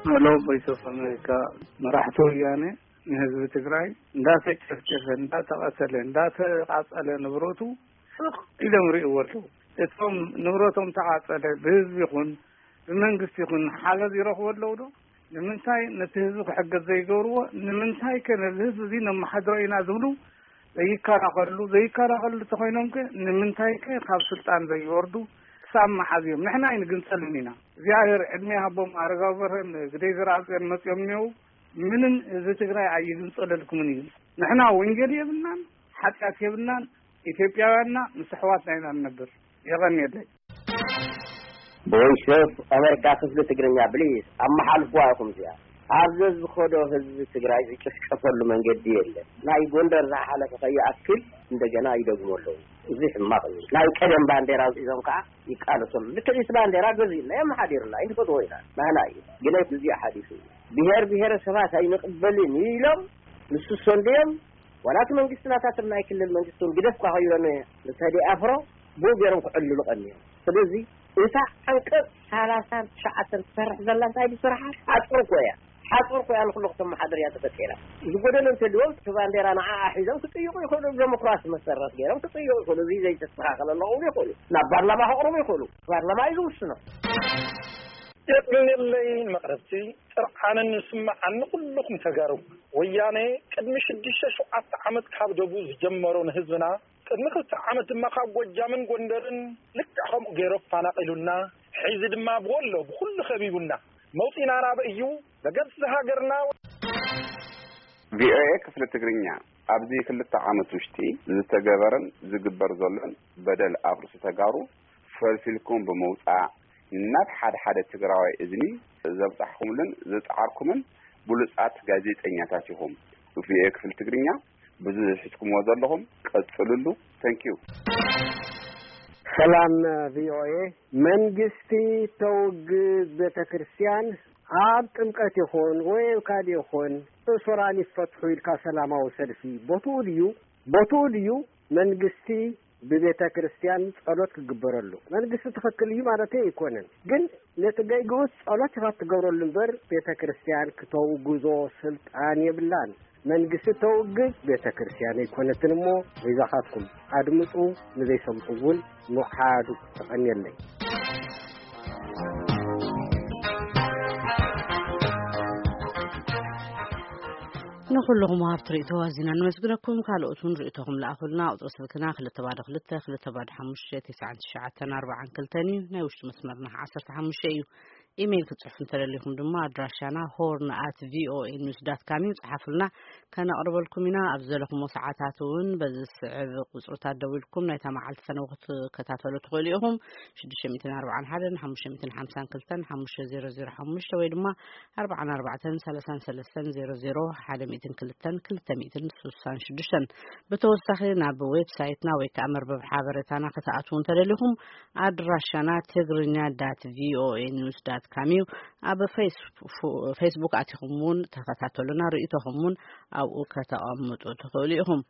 ሄሎ፣ ቮይስ ኦፍ ኣሜሪካ። መራሕቲ ወያነ ንህዝቢ ትግራይ እንዳተጨፍጨፈ፣ እንዳተቐተለ፣ እንዳተቓፀለ ንብረቱ ስቕ ኢሎም ርእይዎ ኣለዉ። እቶም ንብረቶም ተቓፀለ ብህዝቢ ይኹን ብመንግስቲ ይኹን ሓገዝ ይረኽቡ ኣለዉ ዶ? ንምንታይ ነቲ ህዝቢ ክሕገዝ ዘይገብርዎ? ንምንታይ ከ ነዚ ህዝቢ እዚ ነመሓድሮ ኢና ዝብሉ ዘይከላኸሉ? ዘይከላኸሉ እንተኾይኖም ከ ንምንታይ ከ ካብ ስልጣን ዘይወርዱ? ክሳብ መዓዝ እዮም? ንሕና ኣይንግንጸልን ኢና። እግዚኣብሔር ዕድመ ይሃቦም፣ ኣረጋዊ በርሀን ግደይ ዘርኣጽዮን መጺኦም እኒአው። ምንም ህዝቢ ትግራይ ኣይግንጸለልኩምን እዩ። ንሕና ወንጀል የብልናን፣ ሓጢኣት የብልናን። ኢትዮጵያውያንና ምስ ኣሕዋትና ኢና ንነብር። የቐንየለይ። ቮይስ ኦፍ ኣሜሪካ ክፍሊ ትግርኛ፣ ብሊዝ ኣመሓልፍዋ ኢኹም። እዚኣ ኣብ ዘዝኸዶ ህዝቢ ትግራይ ዝጭፍጨፈሉ መንገዲ የለን። ናይ ጎንደር ዝሓለፈ ከይኣክል እንደገና ይደግሙ ኣለዉ። እዚ ሕማቕ እዩ። ናይ ቀደም ባንዴራ ሒዞም ከዓ ይቃለሱ ኣለዉ። ልክዕ እቲ ባንዴራ ገዚእና የመሓዲርና፣ ኣይንፈትዎ ኢና፣ ናህና እዩ። ግን እዚ ሓዲሱ እዩ። ብሄር ብሄረሰባት ኣይንቕበልን ኢሎም ንሱ ሰንድዮም ዋላ እቲ መንግስቲ ናታቶም ናይ ክልል መንግስቲ እውን ግደፍ እኳ ከይብለኒ ንተዲ ኣፍሮ ብኡ ገይሮም ክዕልሉ ቀንዮም። ስለዚ እታ ዓንቀፅ ሰላሳን ትሽዓተን ትሰርሕ ዘላ እንታይ ድስራሓ ሓፁር እኮ እያ። ሓፁር እኮ እያ ንኩሉ ክተመሓድር እያ ተፈጢራ። ዝጎደለ እንተልዎም እቲ ባንዴራ ንዓኣ ሒዞም ክጥይቁ ይኽእሉ። ዲሞክራሲ መሰረት ገይሮም ክጥይቁ ይኽእሉ። እዚ ዘይተስተኻኸለ ኣለኹ ይኽእሉ። ናብ ፓርላማ ከቕርቡ ይኽእሉ። ፓርላማ እዩ ዝውስኖ። የቅንየለይ ንመቕረብቲ ጥርዓንን ንስምዓን ንኹልኹም ተጋሩ። ወያነ ቅድሚ ሽዱሽተ ሸውዓተ ዓመት ካብ ደቡ ዝጀመሮ ንህዝብና ቅድሚ ክልተ ዓመት ድማ ካብ ጎጃምን ጎንደርን ልክዕ ከምኡ ገይሩ ኣፋናቒሉና፣ ሕዚ ድማ ብወሎ ብኹሉ ከቢቡና መውፂና ናበይ እዩ? በገጽ ሃገርና። ቪኦኤ ክፍሊ ትግርኛ ኣብዚ ክልተ ዓመት ውሽጢ ዝተገበረን ዝግበር ዘሎን በደል ኣብ ርእሲ ተጋሩ ፈልፊልኩም ብምውፃእ ናብ ሓደ ሓደ ትግራዋይ እዝኒ ዘብፃሕኩምሉን ዝፀዓርኩምን ብሉፃት ጋዜጠኛታት ኢኹም። ቪኦኤ ክፍሊ ትግርኛ ብዙሕ ሒዝኩምዎ ዘለኹም ቀፅልሉ። Thank you። ሰላም ቪኦኤ። መንግስቲ ተውግዝ ቤተ ክርስቲያን ኣብ ጥምቀት ይኹን ወይ ኣብ ካልእ ይኹን እሱራን ይፈትሑ ኢልካ ሰላማዊ ሰልፊ ቦትኡ ድዩ? ቦትኡ ድዩ መንግስቲ ብቤተ ክርስቲያን ጸሎት ክግበረሉ? መንግስቲ ትኽክል እዩ ማለተይ ኣይኮነን፣ ግን ነቲ ገይግኡስ ጸሎት ኢኻ ትገብረሉ እምበር ቤተ ክርስቲያን ክተውግዞ ስልጣን የብላን። መንግስቲ ተውግዝ ቤተ ክርስቲያን ኣይኮነትን እሞ በይዛኻትኩም ኣድምጡ፣ ንዘይሰምዑ እውን ምውሓዱ። ተቐንየለይ። ንኹልኹም ወሃብቲ ርእይቶ ኣዚና ነመስግነኩም። ካልኦት እውን ርእይቶኹም ለኣኹልና። ቁጽሪ ስልክና ክልተ ባዶ ክልተ ክልተ ባዶ ሓሙሽተ ትስዓን ትሽዓተን ኣርባዓን ክልተን እዩ። ናይ ውሽጢ መስመርና ዓሰርተ ሓሙሽተ እዩ። ኢሜይል ክትጽሕፉ እንተደሊኹም ድማ ኣድራሻና ሆርን ኣት ቪኦኤ ኒውስ ዳት ካም እዩ። ጽሓፉልና፣ ከነቕርበልኩም ኢና። ኣብ ዘለኹሞ ሰዓታት እውን በዚ ዝስዕብ ቁጽርታት ደዊልኩም ናይታ መዓልቲ ፈነው ክትከታተሉ ትኽእሉ ኢኹም። ሽዱሽተ ሚእትን ኣርባዓን ሓደን ሓሙሽተ ሚእትን ሓምሳን ክልተን ሓሙሽተ ዜሮ ዜሮ ሓሙሽተ ወይ ድማ ኣርባዓን ኣርባዕተን ሰላሳን ሰለስተን ዜሮ ዜሮ ሓደ ሚእትን ክልተን ክልተ ሚእትን ስሳን ሽዱሽተን። ብተወሳኺ ናብ ዌብሳይትና ወይ ከዓ መርበብ ሓበሬታና ክትኣትዉ እንተደሊኹም ኣድራሻና ትግርኛ ዳት ቪኦኤ ኒውስ ዳት ካም እዩ። ኣብ ፌስቡ-፣ ፌስቡክ ኣቲኹም እውን ተኸታተሉና፣ ርእይቶኹም እውን ኣብኡ ከተቐምጡ ትኽእሉ ኢኹም።